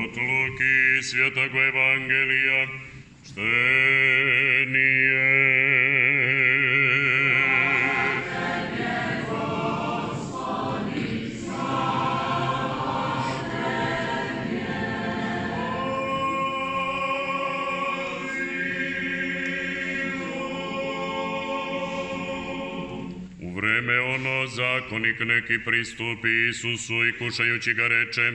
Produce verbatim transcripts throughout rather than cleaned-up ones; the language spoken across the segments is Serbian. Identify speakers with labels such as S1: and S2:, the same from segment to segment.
S1: Od Luki Svetog Evangelija čtenije. U vreme ono zakonik neki pristupi Isusu i kušajući ga reče: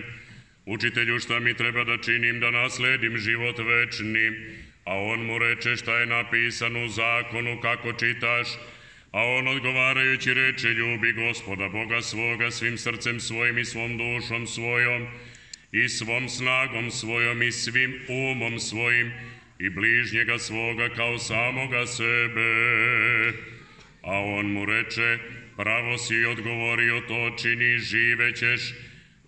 S1: Učitelju, šta mi treba da činim da nasledim život večni? A on mu reče: šta je napisano u zakonu, kako čitaš? A on odgovarajući reče: ljubi Gospoda Boga svoga svim srcem svojim i svom dušom svojom i svom snagom svojom i svim umom svojim i bližnjega svoga kao samoga sebe. A on mu reče: pravo si odgovorio, to čini, živećeš.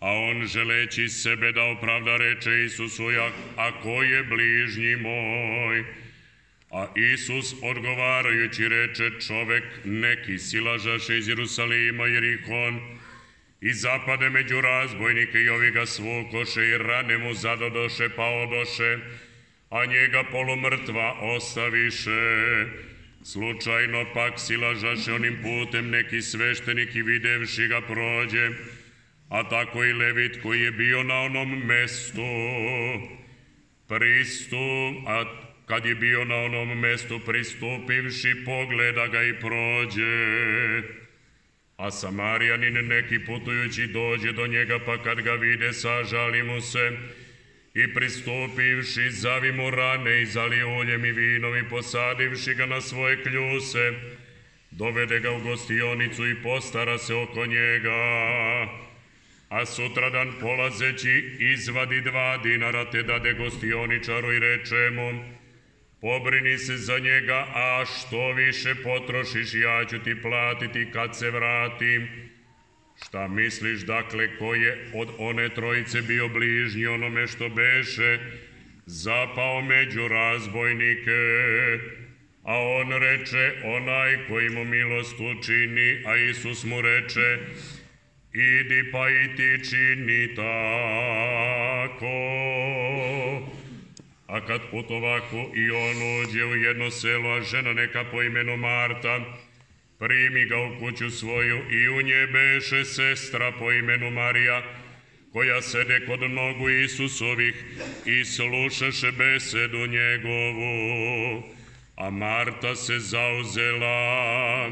S1: A on želeći sebe da opravda reče Isusu: a ko je bližnji moj? A Isus odgovarajući reče: čovek neki silažaše iz Jerusalima Jerihon i zapade među razbojnike i ovi ga svukoše i rane mu zadodoše pa odoše, a njega polumrtva ostaviše. Slučajno pak silažaše onim putem neki sveštenik i videvši ga prođe, a tako i Levit koji je bio na onom mestu pristup, a kad je bio na onom mestu pristupivši, pogleda ga i prođe. A Samarijanin neki putujući dođe do njega, pa kad ga vide, sažali mu se i pristupivši, zavi mu rane i zali uljem i vinom i posadivši ga na svoje kljuse, dovede ga u gostionicu i postara se oko njega. A sutradan polazeći izvadi dva dinara te dade gostioničaru i reče mu: pobrini se za njega, a što više potrošiš, ja ću ti platiti kad se vratim. Šta misliš, dakle, ko je od one trojice bio bližnji onome što beše zapao među razbojnike? A on reče: onaj koji mu milost učini. A Isus mu reče: idi pa i ti čini tako. A kad putovahu i on uđe u jedno selo, a žena neka po imenu Marta primi ga u kuću svoju i u nje beše sestra po imenu Marija, koja sede kod nogu Isusovih i slušaše besedu njegovu. A Marta se zauzela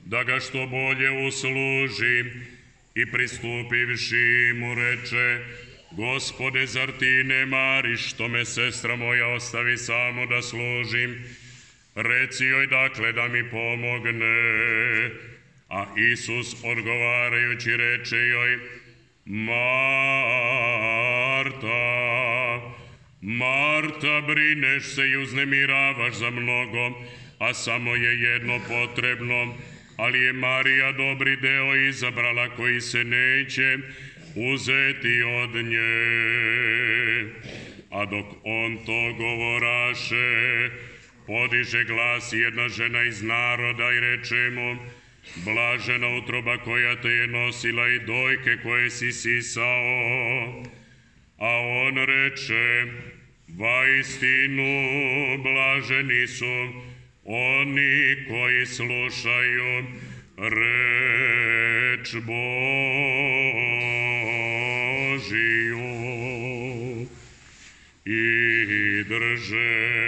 S1: da ga što bolje usluži i pristupivši mu reče: Gospode, zar ti ne mariš što me sestra moja ostavi samo da služim? Reci joj dakle da mi pomogne. A Isus odgovarajući reče joj: Marta, Marta, brineš se i uznemiravaš za mnogo, a samo je jedno potrebno. Ali je Marija dobri deo izabrala koji se neće uzeti od nje. A dok on to govoraše, podiže glas jedna žena iz naroda i reče mu: blažena utroba koja te je nosila i dojke koje si sisao. A on reče: vaistinu blaženi su oni koji slušaju reč Božiju i drže